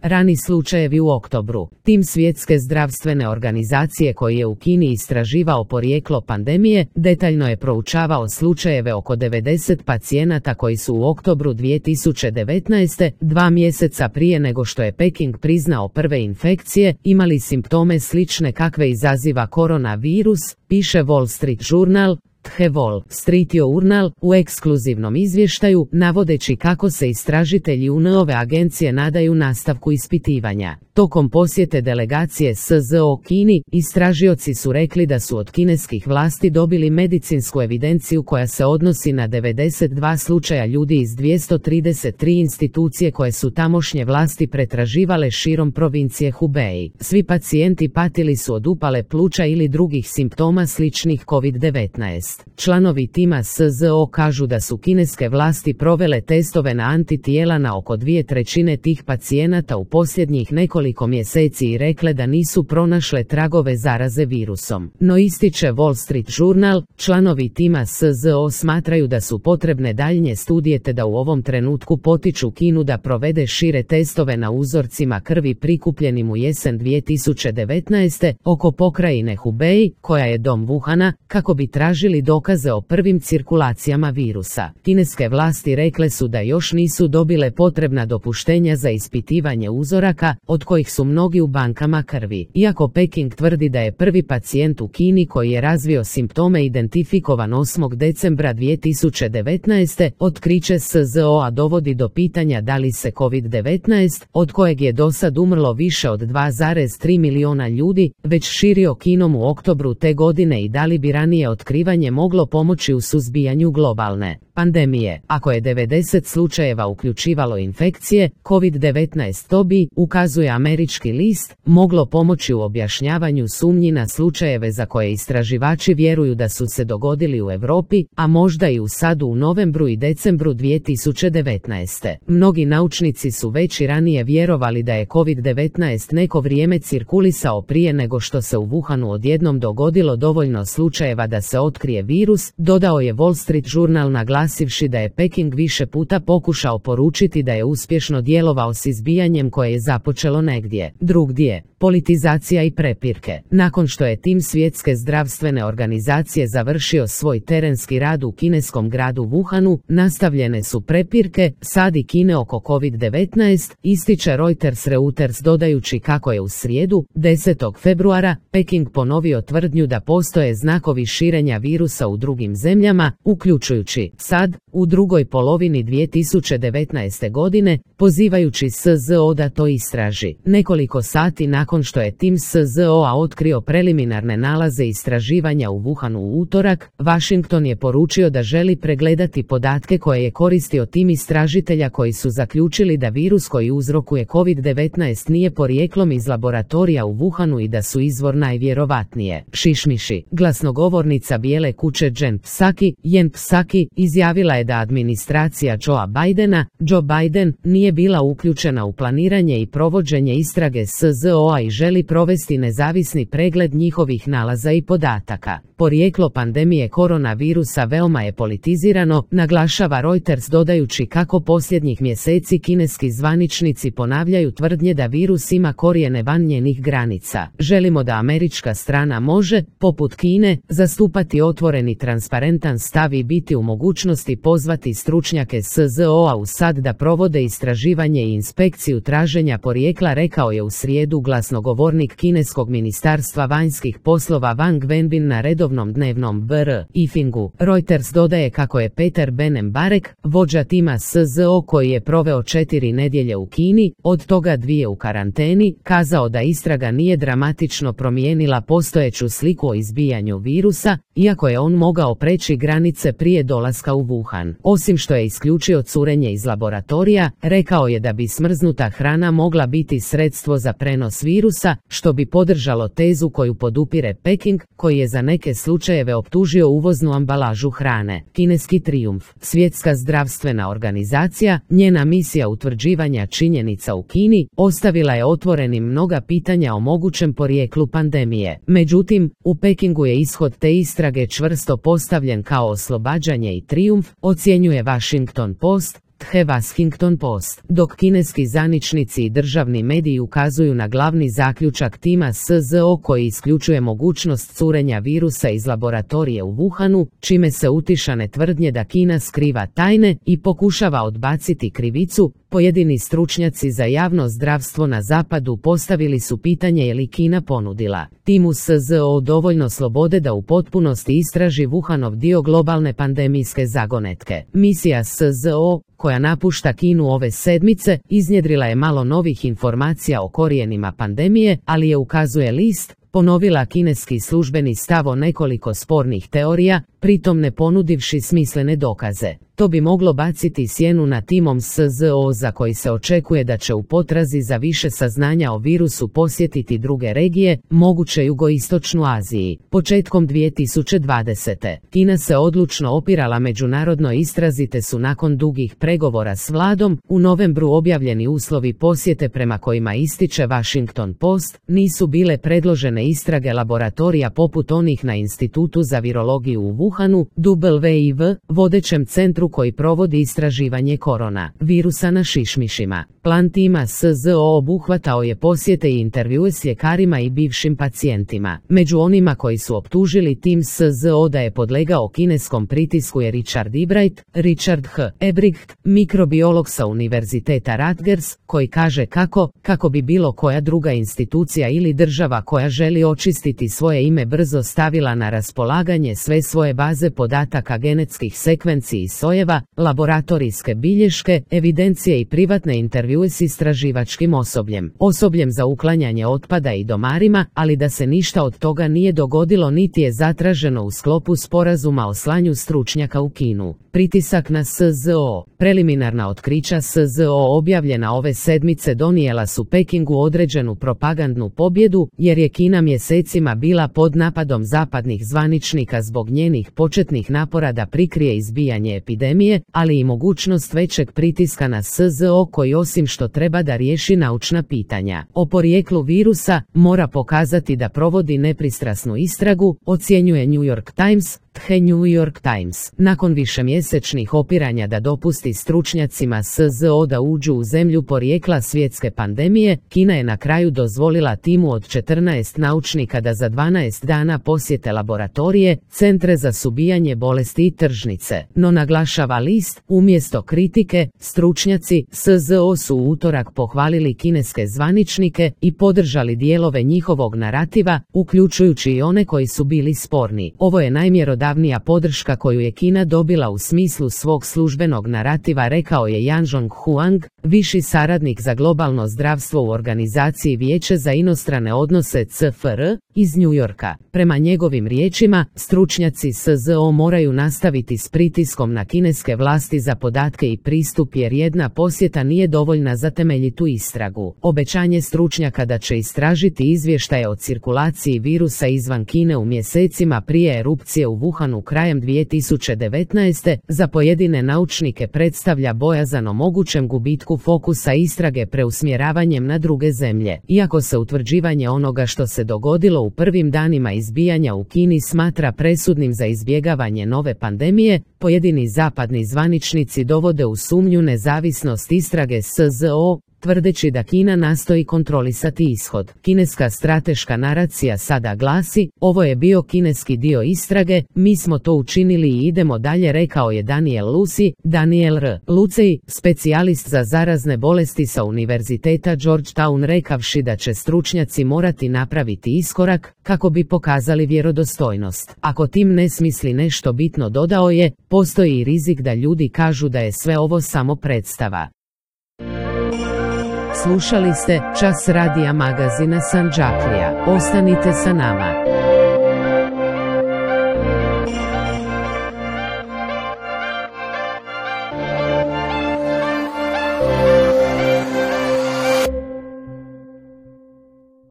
Rani slučajevi u oktobru. Tim Svjetske zdravstvene organizacije koji je u Kini istraživao porijeklo pandemije, detaljno je proučavao slučajeve oko 90 pacijenata koji su u oktobru 2019, 2 mjeseca prije nego što je Peking priznao prve infekcije, imali simptome slične kakve izaziva koronavirus, piše Wall Street Journal. The Wall Street Journal u ekskluzivnom izvještaju, navodeći kako se istražitelji UN-ove agencije nadaju nastavku ispitivanja. Tokom posjete delegacije SZO Kini, istražioci su rekli da su od kineskih vlasti dobili medicinsku evidenciju koja se odnosi na 92 slučaja ljudi iz 233 institucije koje su tamošnje vlasti pretraživale širom provincije Hubei. Svi pacijenti patili su od upale pluća ili drugih simptoma sličnih COVID-19. Članovi tima SZO kažu da su kineske vlasti provele testove na antitijela na oko 2/3 tih pacijenata u posljednjih nekoliko mjeseci i rekle da nisu pronašle tragove zaraze virusom. No, ističe Wall Street Journal, članovi tima SZO smatraju da su potrebne daljnje studije te da u ovom trenutku potiču Kinu da provede šire testove na uzorcima krvi prikupljenim u jesen 2019. oko pokrajine Hubei, koja je dom Wuhana, kako bi tražili dokaze o prvim cirkulacijama virusa. Kineske vlasti rekle su da još nisu dobile potrebna dopuštenja za ispitivanje uzoraka, od kojih su mnogi u bankama krvi. Iako Peking tvrdi da je prvi pacijent u Kini koji je razvio simptome identifikovan 8. decembra 2019. otkriće SZO-a dovodi do pitanja da li se COVID-19, od kojeg je dosad umrlo više od 2,3 milijuna ljudi, već širio Kinom u oktobru te godine i da li bi ranije otkrivanje moglo pomoći u suzbijanju globalne pandemije. Ako je 90 slučajeva uključivalo infekcije, COVID-19 to bi, ukazuje američki list, moglo pomoći u objašnjavanju sumnji na slučajeve za koje istraživači vjeruju da su se dogodili u Europi, a možda i u SAD-u u novembru i decembru 2019. Mnogi naučnici su već i ranije vjerovali da je COVID-19 neko vrijeme cirkulisao prije nego što se u Wuhanu odjednom dogodilo dovoljno slučajeva da se otkrije virus, dodao je Wall Street Journal naglasivši da je Peking više puta pokušao poručiti da je uspješno djelovao s izbijanjem koje je započelo negdje drugdje. Politizacija i prepirke. Nakon što je tim Svjetske zdravstvene organizacije završio svoj terenski rad u kineskom gradu Wuhanu, nastavljene su prepirke SAD i Kine oko COVID-19, ističe Reuters dodajući kako je u srijedu, 10. februara, Peking ponovio tvrdnju da postoje znakovi širenja virusa u drugim zemljama, uključujući SAD, u drugoj polovini 2019. godine, pozivajući SZO da to istraži. Nekoliko sati nakon što je tim SZO-a otkrio preliminarne nalaze istraživanja u Wuhanu u utorak, Washington je poručio da želi pregledati podatke koje je koristio tim istražitelja koji su zaključili da virus koji uzrokuje COVID-19 nije porijeklom iz laboratorija u Wuhanu i da su izvor najvjerovatnije šišmiši. Glasnogovornica Bijele kuće Jen Psaki izjavila je da administracija Joe Biden nije bila uključena u planiranje i provođenje istrage SZO-a i želi provesti nezavisni pregled njihovih nalaza i podataka. Porijeklo pandemije koronavirusa veoma je politizirano, naglašava Reuters dodajući kako posljednjih mjeseci kineski zvaničnici ponavljaju tvrdnje da virus ima korijene van njenih granica. Želimo da američka strana može, poput Kine, zastupati otvoreni transparentan stav i biti u mogućnosti pozvati stručnjake SZO-a u SAD da provode istraživanje i inspekciju traženja porijekla, rekao je u srijedu glasnogovornik kineskog ministarstva vanjskih poslova Wang Wenbin na redovnom dnevnom briefingu. Reuters dodaje kako je Peter Benem-Barek, vođa tima SZO koji je proveo 4 nedjelje u Kini, od toga 2 u karanteni, kazao da istraga nije dramatično promijenila postojeću sliku o izbijanju virusa, iako je on mogao preći granice prije dolaska u Wuhan. Osim što je isključio curenje iz laboratorija, rekao je da bi smrznuta hrana mogla biti sredstvo za prenos virusa, što bi podržalo tezu koju podupire Peking, koji je za neke slučajeve optužio uvoznu ambalažu hrane. Kineski trijumf. Svjetska zdravstvena organizacija, njena misija utvrđivanja činjenica u Kini, ostavila je otvorenim mnoga pitanja o mogućem porijeklu pandemije. Međutim, u Pekingu je ishod te istrage čvrsto postavljen kao oslobađanje i trijumf, ocjenjuje Washington Post, The Washington Post, dok kineski zvaničnici i državni mediji ukazuju na glavni zaključak tima SZO koji isključuje mogućnost curenja virusa iz laboratorije u Wuhanu, čime se utišane tvrdnje da Kina skriva tajne i pokušava odbaciti krivicu, pojedini stručnjaci za javno zdravstvo na zapadu postavili su pitanje je li Kina ponudila timu SZO dovoljno slobode da u potpunosti istraži Wuhanov dio globalne pandemijske zagonetke. Misija SZO, koja napušta Kinu ove sedmice, iznjedrila je malo novih informacija o korijenima pandemije, ali je, ukazuje list, ponovila kineski službeni stav o nekoliko spornih teorija, pritom ne ponudivši smislene dokaze. To bi moglo baciti sjenu na timom SZO za koji se očekuje da će u potrazi za više saznanja o virusu posjetiti druge regije, moguće jugoistočnu Aziji. Početkom 2020. Kina se odlučno opirala međunarodnoj istrazi te su nakon dugih pregovora s vladom u novembru objavljeni uslovi posjete prema kojima ističe Washington Post, nisu bile predložene istrage laboratorija poput onih na Institutu za virologiju u Wuhanu, WIV, vodećem centru koji provodi istraživanje korona virusa na šišmišima. Plan tima SZO obuhvatao je posjete i intervjue s ljekarima i bivšim pacijentima. Među onima koji su optužili tim SZO da je podlegao kineskom pritisku je Richard H. Ebricht, mikrobiolog sa Univerziteta Rutgers, koji kaže kako bi bilo koja druga institucija ili država koja želi očistiti svoje ime brzo stavila na raspolaganje sve svoje baze podataka genetskih sekvenci i sojeva, laboratorijske bilješke, evidencije i privatne intervjue s istraživačkim osobljem za uklanjanje otpada i domarima, ali da se ništa od toga nije dogodilo niti je zatraženo u sklopu sporazuma o slanju stručnjaka u Kinu. Pritisak na SZO. Preliminarna otkrića SZO objavljena ove sedmice donijela su Pekingu određenu propagandnu pobjedu, jer je Kina mjesecima bila pod napadom zapadnih zvaničnika zbog njenih početnih napora da prikrije izbijanje epidemije, ali i mogućnost većeg pritiska na SZO koji osim što treba da riješi naučna pitanja o porijeklu virusa, mora pokazati da provodi nepristrasnu istragu, ocjenjuje New York Times. The New York Times. Nakon višemjesečnih opiranja da dopusti stručnjacima SZO da uđu u zemlju porijekla svjetske pandemije, Kina je na kraju dozvolila timu od 14 naučnika da za 12 dana posjete laboratorije, centre za suzbijanje bolesti i tržnice. No, naglašava list, umjesto kritike, stručnjaci SZO su u utorak pohvalili kineske zvaničnike i podržali dijelove njihovog narativa, uključujući i one koji su bili sporni. Ovo je najmjerodavnija podrška koju je Kina dobila u smislu svog službenog narativa, rekao je Yanzhong Huang, viši saradnik za globalno zdravstvo u organizaciji Vijeće za inostrane odnose CFR iz New Yorka. Prema njegovim riječima, stručnjaci SZO moraju nastaviti s pritiskom na kineske vlasti za podatke i pristup jer jedna posjeta nije dovoljna za temeljitu istragu. Obećanje stručnjaka da će istražiti izvještaje o cirkulaciji virusa izvan Kine u mjesecima prije erupcije u Wuhanu krajem 2019. za pojedine naučnike predstavlja bojazan o mogućem gubitku fokusa istrage preusmjeravanjem na druge zemlje. Iako se utvrđivanje onoga što se dogodilo u prvim danima izbijanja u Kini smatra presudnim za izbjegavanje nove pandemije, pojedini zapadni zvaničnici dovode u sumnju nezavisnost istrage SZO, tvrdeći da Kina nastoji kontrolisati ishod. Kineska strateška naracija sada glasi, ovo je bio kineski dio istrage, mi smo to učinili i idemo dalje, rekao je Daniel R. Lucey, specijalist za zarazne bolesti sa Univerziteta Georgetown, rekavši da će stručnjaci morati napraviti iskorak kako bi pokazali vjerodostojnost. Ako tim ne smisli nešto bitno, dodao je, postoji i rizik da ljudi kažu da je sve ovo samo predstava. Slušali ste Čas radija magazina Sandžaklija. Ostanite sa nama.